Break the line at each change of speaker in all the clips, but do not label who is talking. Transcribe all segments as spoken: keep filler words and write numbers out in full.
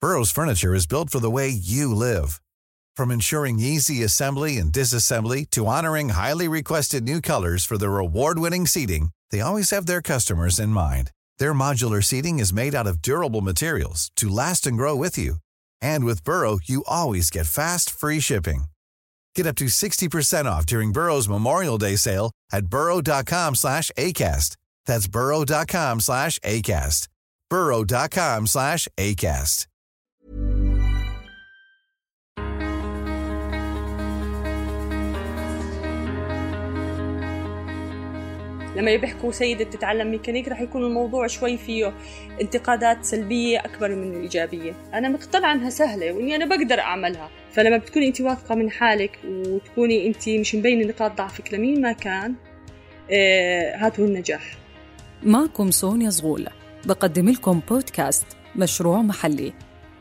Burrow's furniture is built for the way you live. From ensuring easy assembly and disassembly to honoring highly requested new colors for their award-winning seating, they always have their customers in mind. Their modular seating is made out of durable materials to last and grow with you. And with Burrow, you always get fast, free shipping. Get up to sixty percent off during Burrow's Memorial Day sale at burrow.com slash ACAST. That's burrow.com slash ACAST. burrow.com slash ACAST.
لما بيحكوا سيدة تتعلم ميكانيك رح يكون الموضوع شوي فيه انتقادات سلبية أكبر من الإيجابية. أنا مقتنعة أنها سهلة وإني أنا بقدر أعملها. فلما بتكوني أنت واثقة من حالك وتكوني أنت مش مبينة نقاط ضعفك لمين ما كان، آه هاتوا النجاح.
معكم سونيا زغول، بقدم لكم بودكاست مشروع محلي،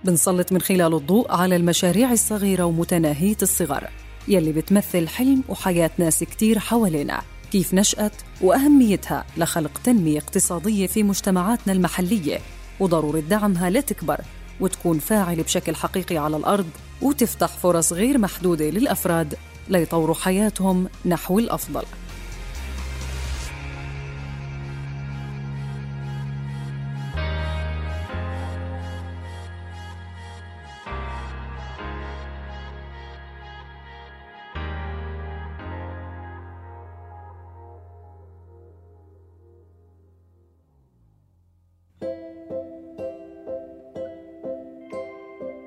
بنسلط من خلال الضوء على المشاريع الصغيرة ومتناهية الصغر يلي بتمثل حلم وحياة ناس كتير حوالينا، كيف نشأت وأهميتها لخلق تنمية اقتصادية في مجتمعاتنا المحلية، وضرورة دعمها لتكبر وتكون فاعلة بشكل حقيقي على الأرض، وتفتح فرص غير محدودة للأفراد ليطوروا حياتهم نحو الأفضل.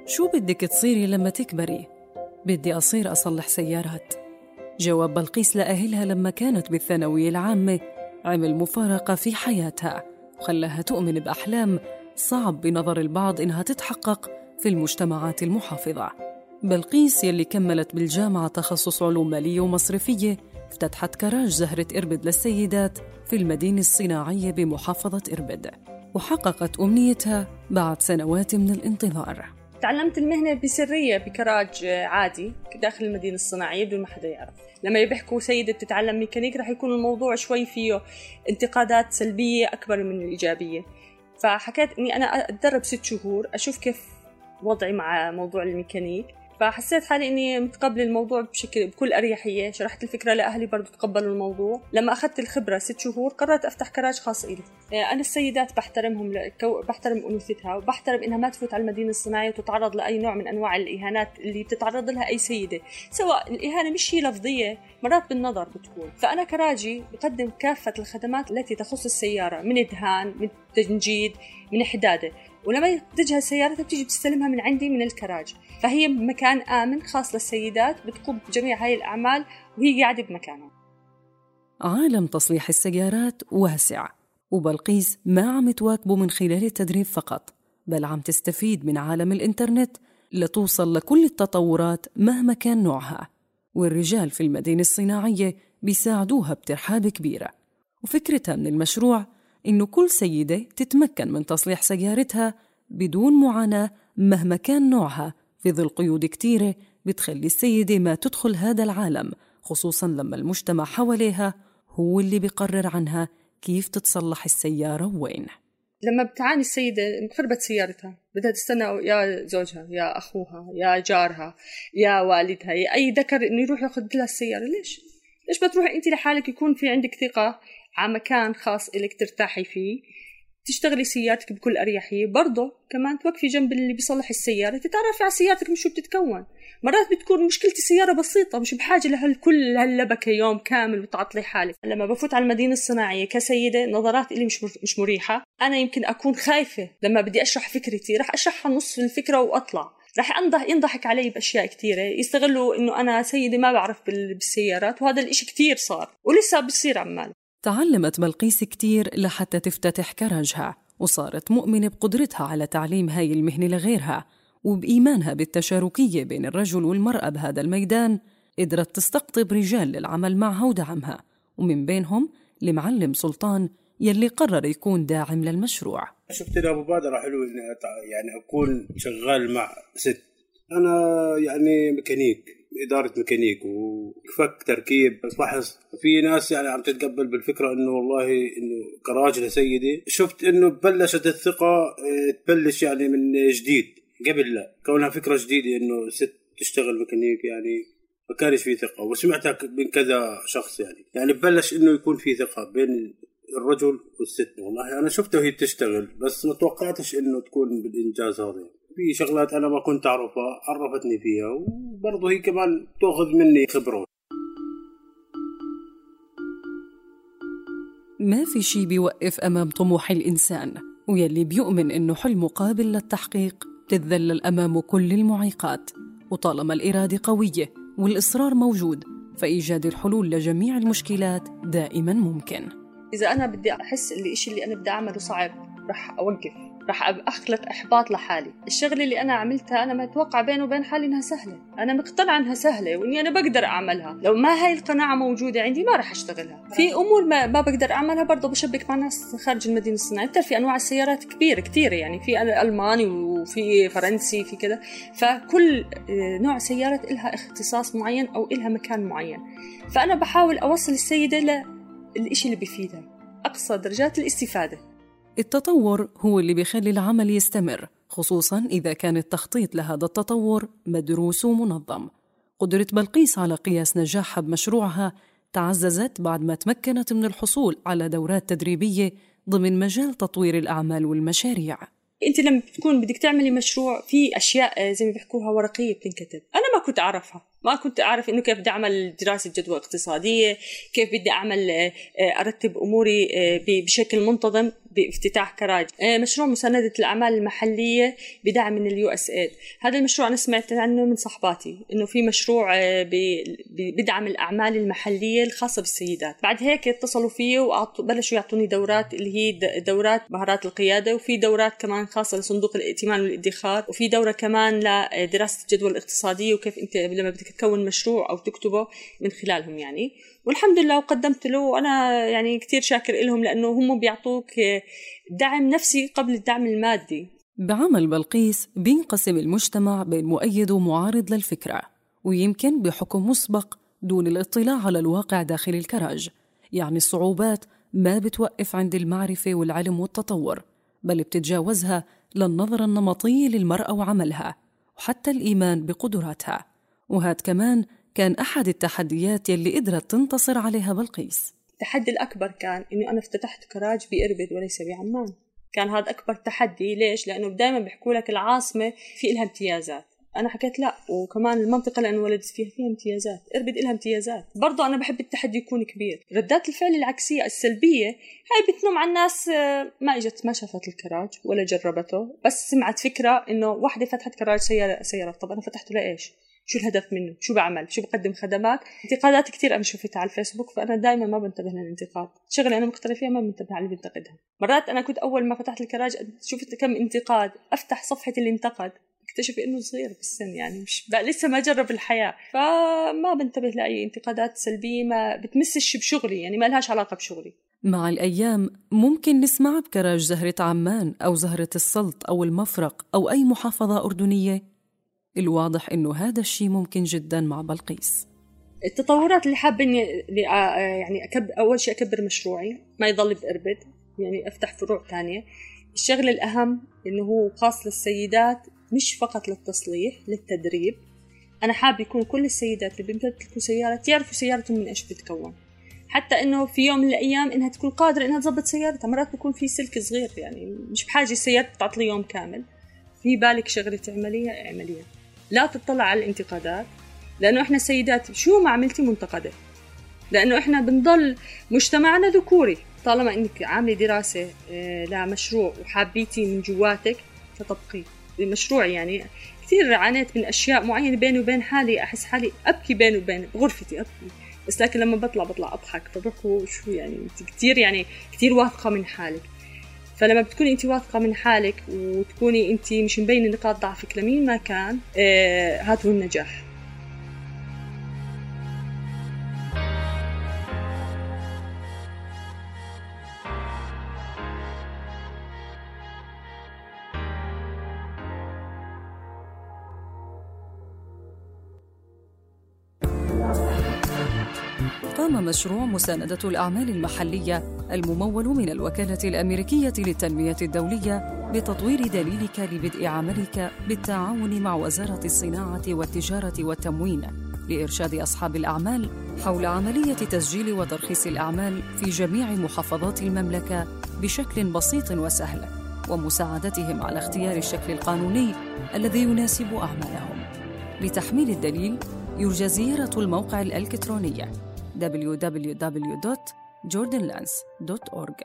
شو بدك تصيري لما تكبري؟ بدي أصير أصلح سيارات. جواب بلقيس لأهلها لما كانت بالثانوية العامة عمل مفارقة في حياتها وخلاها تؤمن بأحلام صعب بنظر البعض إنها تتحقق في المجتمعات المحافظة. بلقيس يلي كملت بالجامعة تخصص علوم مالية ومصرفية افتتحت كراج زهرة إربد للسيدات في المدينة الصناعية بمحافظة إربد، وحققت أمنيتها بعد سنوات من الانتظار.
تعلمت المهنة بسرية بكراج عادي داخل المدينة الصناعية بدون ما حدا يعرف. لما بيحكوا سيدة تتعلم ميكانيك رح يكون الموضوع شوي فيه انتقادات سلبية أكبر من الإيجابية. فحكيت إني أنا أتدرب ست شهور أشوف كيف وضعي مع موضوع الميكانيك، فحسيت حالي إني متقبل الموضوع بشكل بكل أريحية. شرحت الفكرة لأهلي برضو تقبلوا الموضوع. لما أخذت الخبرة ست شهور قررت أفتح كراج خاص إلي. أنا السيدات بحترمهم لكو... بحترم أنوثتها وبحترم إنها ما تفوت على المدينة الصناعية وتتعرض لأي نوع من أنواع الإهانات اللي بتتعرض لها أي سيدة، سواء الإهانة مش هي لفظية مرات بالنظر بتكون. فأنا كراجي بقدم كافة الخدمات التي تخص السيارة، من إدهان، من تنجيد، من حدادة. ولما تجهز سيارتها بتيجي بتستلمها من عندي من الكراج. فهي مكان آمن خاص للسيدات بتقوم بجميع هاي الأعمال وهي قاعدة بمكانها.
عالم تصليح السيارات واسع، وبلقيس ما عم تواكبه من خلال التدريب فقط، بل عم تستفيد من عالم الإنترنت لتوصل لكل التطورات مهما كان نوعها. والرجال في المدينة الصناعية بيساعدوها بترحاب كبيرة. وفكرتها من المشروع إنه كل سيدة تتمكن من تصليح سيارتها بدون معاناة مهما كان نوعها، في ظل قيود كتيرة بتخلي السيدة ما تدخل هذا العالم، خصوصاً لما المجتمع حواليها هو اللي بيقرر عنها كيف تتصلح السيارة وين.
لما بتعاني السيدة خربت سيارتها بدها تستنى يا زوجها يا أخوها يا جارها يا والدها يا أي ذكر إنه يروح ياخذ لها السيارة. ليش؟ ليش بتروحي أنت لحالك يكون في عندك ثقة على مكان خاص إلك ترتاحي فيه، تشتغلي سيارتك بكل أريحية، برضه كمان توقفي جنب اللي بيصلح السيارة تتعرفي على سيارتك مش شو بتتكون. مرات بتكون مشكلة السيارة بسيطة مش بحاجة لهالكل هاللبكة يوم كامل وتعطلي حالك. لما بفوت على المدينة الصناعية كسيدة نظرات إلي مش مش مريحة. أنا يمكن أكون خايفة لما بدي أشرح فكرتي، رح أشرحها نص الفكرة وأطلع، رح أنضح ينضحك علي بأشياء كتيرة، يستغلوا إنه أنا سيدة ما بعرف بالسيارات، وهذا الإشي كتير صار ولسه بصير عمال.
تعلمت بلقيس كتير لحتى تفتتح كراجها، وصارت مؤمنة بقدرتها على تعليم هاي المهنة لغيرها، وبإيمانها بالتشاركية بين الرجل والمرأة بهذا الميدان قدرت تستقطب رجال للعمل معها ودعمها، ومن بينهم المعلم سلطان يلي قرر يكون داعم للمشروع.
شفت لها مبادرة حلوة إني يعني أكون شغال مع ست. أنا يعني ميكانيك، إدارة ميكانيك وفك تركيب، بس لاحظ في ناس يعني عم تتقبل بالفكرة إنه والله إنه كراجل سيدي. شفت إنه بلشت الثقة تبلش يعني من جديد، قبل لا كونها فكرة جديدة إنه ست تشتغل ميكانيك يعني ما كانش في ثقة، وسمعتها من كذا شخص يعني يعني ببلش إنه يكون في ثقة بين الرجل والست. والله أنا شفتها وهي تشتغل بس ما توقعتش إنه تكون بالإنجاز هذا. في شغلات أنا ما كنت أعرفها عرفتني فيها، وبرضه هي كمان تأخذ مني خبرة.
ما في شي بيوقف أمام طموح الإنسان، ويلي بيؤمن إنه حلمه قابل للتحقيق تتذلل أمامه كل المعيقات. وطالما الإرادة قوية والإصرار موجود، فإيجاد الحلول لجميع المشكلات دائما ممكن.
إذا أنا بدي أحس اللي إشي اللي أنا بدي أعمله صعب رح أوقف، رح أخلق إحباط لحالي. الشغلة اللي أنا عملتها أنا ما أتوقع بينه وبين حالي إنها سهلة، أنا مقتنعة إنها سهلة وإني أنا بقدر أعملها. لو ما هاي القناعة موجودة عندي ما رح أشتغلها. في أمور ما, ما بقدر أعملها برضه بشبك مع ناس خارج المدينة الصناعية. في أنواع السيارات كبيرة كتيرة يعني، في ألماني وفي فرنسي في كذا، فكل نوع سيارات إلها اختصاص معين أو إلها مكان معين. فأنا بحاول أوصل السيدة للإشي اللي بيفيدها أقصى درجات الاستفادة.
التطور هو اللي بيخلي العمل يستمر، خصوصاً إذا كان التخطيط لهذا التطور مدروس ومنظم. قدرة بلقيس على قياس نجاحها بمشروعها تعززت بعد ما تمكنت من الحصول على دورات تدريبية ضمن مجال تطوير الأعمال والمشاريع.
أنت لما تكون بدك تعملي مشروع في أشياء زي ما بيحكوها ورقية بتنكتب، أنا ما كنت أعرفها، ما كنت أعرف إنه كيف بدي أعمل دراسة جدوى اقتصادية، كيف بدي أعمل أرتب أموري بشكل منتظم بافتتاح كراج. مشروع مساندة الأعمال المحلية بدعم من اليو اس ايد، هذا المشروع أنا سمعت عنه من صحباتي إنه في مشروع بدعم الأعمال المحلية الخاصة بالسيدات. بعد هيك اتصلوا فيه وبلشوا يعطوني دورات اللي هي دورات مهارات القيادة، وفي دورات كمان خاصة لصندوق الائتمان والادخار، وفي دورة كمان لدراسة الجدوى الاقتصادية وكيف أنت لما بدك تكون مشروع أو تكتبه من خلالهم يعني. والحمد لله وقدمت له، وأنا يعني كتير شاكر لهم لأنه هم بيعطوك دعم نفسي قبل الدعم المادي.
بعمل بلقيس بينقسم المجتمع بين مؤيد ومعارض للفكرة، ويمكن بحكم مسبق دون الاطلاع على الواقع داخل الكراج. يعني الصعوبات ما بتوقف عند المعرفة والعلم والتطور، بل بتتجاوزها للنظرة النمطية للمرأة وعملها وحتى الإيمان بقدراتها. وهذا كمان كان أحد التحديات يلي قدرت تنتصر عليها بلقيس.
التحدي الأكبر كان إنه أنا افتتحت كراج بإربد وليس بعمان. كان هذا أكبر تحدي. ليش؟ لأنه دائما بيحكوا لك العاصمة في إلها امتيازات. أنا حكيت لا، وكمان المنطقة اللي أنا ولدت فيها فيها امتيازات، إربد إلها امتيازات. برضو أنا بحب التحدي يكون كبير. ردات الفعل العكسية السلبية هاي بتنم عن الناس ما إجت ما شافت الكراج ولا جربته، بس سمعت فكرة إنه واحدة فتحت كراج سيارة سيارة طب أنا فتحته لإيش؟ شو الهدف منه؟ شو بعمل؟ شو بقدم خدمات؟ انتقادات كتير أنا شوفتها على الفيسبوك، فأنا دائما ما بنتبه للانتقاد. شغلة أنا مقتنعة فيها ما بنتبه على اللي بنتقدها. مرات أنا كنت أول ما فتحت الكراج شفت كم انتقاد، أفتح صفحة اللي انتقد اكتشف إنه صغير بالسن يعني مش لسه ما جرب الحياة، فما بنتبه لأي انتقادات سلبية ما بتمسش بشغلي يعني ما لهاش علاقة بشغلي.
مع الأيام ممكن نسمع بكراج زهرة عمان أو زهرة السلط أو المفرق أو أي محافظة أردنية. الواضح إنه هذا الشيء ممكن جداً مع بلقيس.
التطورات اللي حابة إني يعني أكبر، أول شيء أكبر مشروعي ما يضل بإربد، يعني أفتح فروع تانية. الشغل الأهم إنه هو خاص للسيدات مش فقط للتصليح، للتدريب. أنا حابة يكون كل السيدات اللي بيمتلكوا سيارات يعرفوا سيارتهم من إيش بتكون، حتى إنه في يوم من الأيام إنها تكون قادرة إنها تضبط سيارتها. مرات بيكون في سلك صغير يعني مش بحاجة السيارة تعطلي يوم كامل. في بالك شغلة عملية عملية، لا تطلع على الانتقادات، لأنه إحنا السيدات شو ما عملتي منتقدة، لأنه إحنا بنضل مجتمعنا ذكوري. طالما إنك عاملة دراسة لمشروع وحابيتي من جواتك فتبقي المشروع. يعني كثير عانيت من أشياء معينة بيني وبين حالي، أحس حالي أبكي بيني وبين غرفتي أبكي، بس لكن لما بطلع بطلع أضحك، فبحكوا شو يعني أنت كثير يعني كثير واثقة من حالك. فلما بتكوني أنت واثقة من حالك وتكوني أنت مش مبينة نقاط ضعفك لمين ما كان، آه هذا هو النجاح.
قام مشروع مساندة الأعمال المحلية الممول من الوكالة الأمريكية للتنمية الدولية بتطوير دليلك لبدء عملك بالتعاون مع وزارة الصناعة والتجارة والتموين لإرشاد أصحاب الأعمال حول عملية تسجيل وترخيص الأعمال في جميع محافظات المملكة بشكل بسيط وسهل، ومساعدتهم على اختيار الشكل القانوني الذي يناسب أعمالهم. لتحميل الدليل يرجى زيارة الموقع الإلكتروني دبليو دبليو دبليو دوت جوردن لانس دوت أورج.